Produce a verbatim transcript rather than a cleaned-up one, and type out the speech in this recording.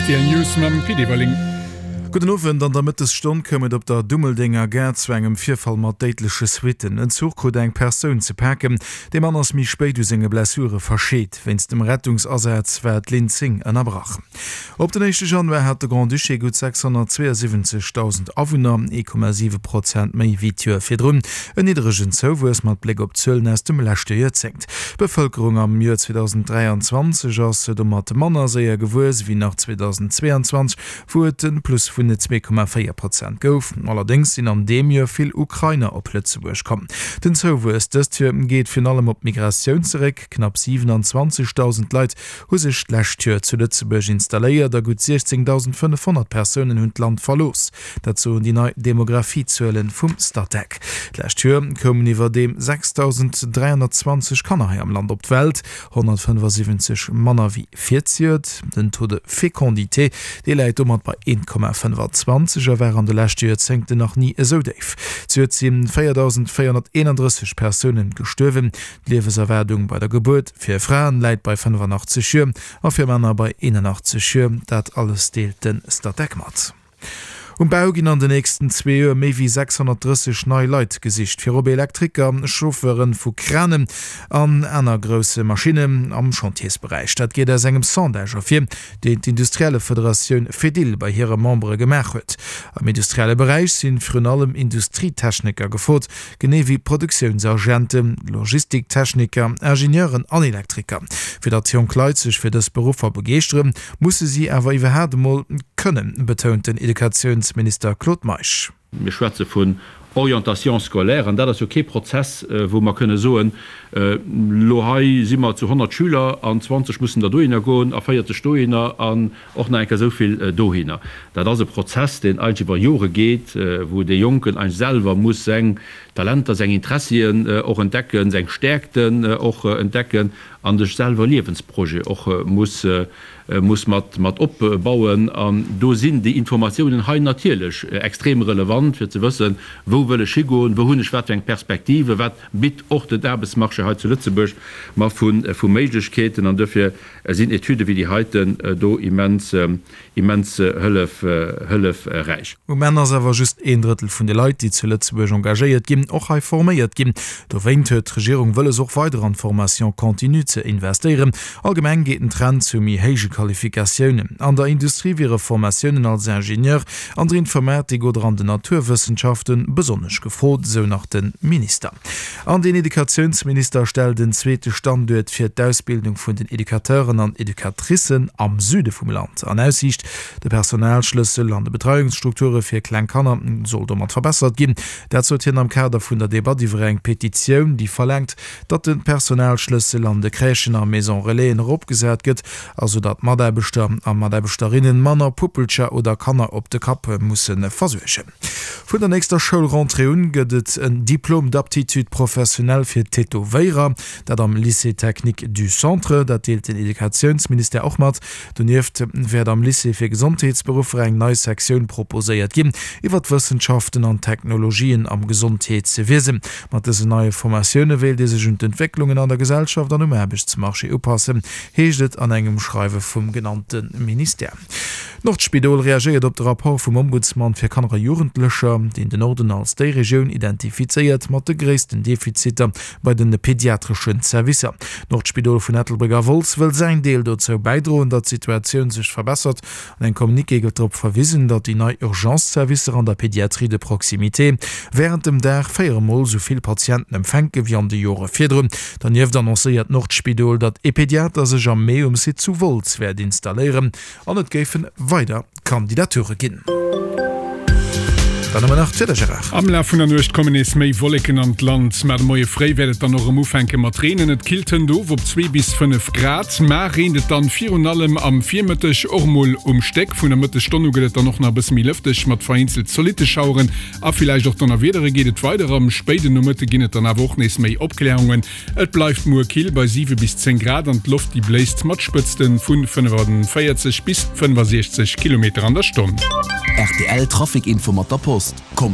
Rtl News mam Pit Everling. Gudden Owend, An der Mëttesstonn koum et op der Dummeldenger Gare zu engem Virfall mat déidleche Suitten. En Zuch krut eng Persoun ze paken. De Mann ass méi spéit u senge Blessure verscheet. Wéinst dem Rettungsasaz war d'Linn zéng ënnerbrach. Op den éischte Januar hat de Grand-Duché gutt sechshonnertzweeënsiwwenzegdausend Awunner, ee Komma siwe Prozent méi wéi d'Joer virdrun. En niddregen Zouwuess mat Bléck op d'Zuelen aus dem leschte Joerzéngt. D'Bevëlkerung am Joer zweedausenddräianzwanzeg ass domat manner séier gewuess wéi nach zweedausendzweeanzwanzeg, wou et e Plus vun zwee Komma véier Prozent gouf. Allerdéngs sinn an deem Joer vill Ukrainer op Lëtzebuerg komm. Den Zouwuess dëst Joer geet virun allem op d'Migratioun zeréck. Knapp siwenanzwanzegdausend Leit hu sech d'lescht Joer zu Lëtzebuerg installéiert a gutt siechzéngdausendfënnefhonnert Persounen hunn d'Land verlooss. Dat soen déi nei Demografiezuele vum Statec. D'lescht Joer koumen iwwerdeem sechsdausend dräihonnertzwanzeg Kanner hei am Land op d'Welt, honnertfënnefasiwwenzeg manner wéi virzejoert. Den Taux de fécondité, dee läit domat bei eent Komma fënnefazwanzeg a war an de leschte Joerzéngten nach ni esou déif. Zejoert si véierdausendvéierhonnerteenandrësseg Persounen gestuerwen. D'Liewenserwaardung bei der Gebuert fir Fraen läit bei fënnefanachtzeg Joer a fir Männer bei eenanachtzeg Joer. Dat alles deelt de Statec mat. Um Bau ginn an den nächsten zwee Joer méi wéi sechshonnertdrësseg nei Leit gesicht, virop Elektriker, Chauffeure vu Kranen an aner grousse Maschinnen am Chantiersberäich. Dat geet aus engem Sondage ervir, deen d'Industriellefederatioun Fedil bei hire Membere gemaach huet. Am industrielle Beräich si virun allem Industrietechniker gefrot, genee wéi Produktiounsagenten, Logistiktechniker, Ingenieuren an Elektriker. Fir datt jonk Leit sech fir dës Beruffer begeeschteren, musse si awer iwwerhaapt emol kënnen, betount den Educatiounsminister Claude Meisch. Mir schwätze vun Orientation scolaire, an dat ass jo kee Prozess, wou mer kënne soen, Elo hei si mer zu honnert Schüler an zwanzeg mussen der dohinner goen a véierzeg dohinner an och nach eng Kéier esou vill dohinner. Dat ass e Prozess, deen eigentlech iwwer Jore geet, wou dee Jonken eigentlech selwer muss seng Talenter, seng Interessien och entdecken, seng Stäerkten och entdecken a sech selwer e Liewensprojet och muss muss mat mat opbauen. An do sinn déi Informatiounen hei natierlech extrem relevant, fir ze wëssen, wou wëll ech higoen, wou hunn ech wat fir eng Perspektive, wat bitt och den Aarbechtsmarché hei zu Lëtzebuerg mer vu vu Méiglechkeeten. An dofir sinn Etüde wéi déi heiten do immens immens hëllef hëllefräich. Um Enn ass awer just een Drëttel vun de Leit, déi zu Lëtzebuerg engagéiert ginn, och hei forméiert ginn. Dowéint huet d'Regierung wëlles, och weider an d'Formation continue ze investéieren. Allgemeng geet den Trend zu méi héije Qualifikatiounen. An der Industrie wiere Formatiounen als Ingenieur, an der Informatik oder an den Naturwëssenschafte besonnesch gefrot, esou nach de Minister. An den Educatiounsminister stellt en zweete Standuert fir d'Ausbildung vun den Educateuren an Educatricen am Süde vum Land an Aussiicht. De Personalschlëssel an de Betreiungsstrukture fir kleng Kanner soll domat verbessert ginn. Dat sot hien am Kader vun der Debatt iwwer eng Petitioun, déi verlaangt, datt de Personalschlëssel an de Crèchen a Maison Relaisen eropgesat gëtt, also datt Mataarbechter a Mataarbechterinnen manner Puppelcher oder Kanner op de Kapp musse versuergen. Vun der nächster Schoulrentrée un gëtt et en Diplôme d'aptitude professionnelle fir Tätowéierer, dat am Lycée technique du Centre. Dat deelt den Educatiounsministère och mat. Donieft wäert am Lycée fir Gesondheetsberuffer eng nei Sektioun proposéiert ginn iwwer d'Wëssenschaften an d'Technologien am Gesondheetswiesen. Mat dësen neie Formatioune wéilt ee sech un d'Entwécklungen an der Gesellschaft an um Aarbechtsmarché upassen, heescht et an engem Schreiwe vum genannte Ministère. D'Nordspidol reagéiert op de Rapport vum Ombudsman fir Kanner a Jugendlecher, deen den Norden als déi Regioun identifizéiert mat de gréissten Defiziter bei de pediatreschen Servicer. D'Nordspidol vun Ettelbréck a Wolz wëll säin Deel dozou bäidroen, datt d'Situatioun sech verbessert. An engem Communiqué gëtt drop verwisen, datt déi nei Urgence-Servicer an der Pédiatrie de proximité wärend dem Dag véier mol esou vill Patienten empfänke wéi an de Jore virdrun. Dernieft annoncéiert d'Nordspidol, datt ee Pediater sech am Mee um Site zu Wolz wäert installéieren an et géife weider Kandidature ginn. Dann hu mer nach d'Wieder, Gérard. Am Laf vun der Nuecht kommen nees méi Wolleken an d'Land, mä de Moie fréi wäert et dann och erëm ufänke mat reenen. Et killt hënt of op zwee bis fënnef Grad. Mar reent et dann virun allem am Virmëtteg och mol um Stéck. Vun der Mëttesstonn u gëtt et dann och nach e bësse méi lëfteg mat vereenzelt zolitte Schaueren a villäicht och Donnerwiedere geet et weider. Am spéiden Nomëtte ginn et dann awer och nees méi Opklärungen. Et bleift muer kill bei siwe bis zéng Grad an d'Loft déi bléist mat Spëtzte vu fënnefanvéierzeg bis fënnefasiechzeg Kilometer an der Stonn. Rtl Trafic Info mat der Post. Kommt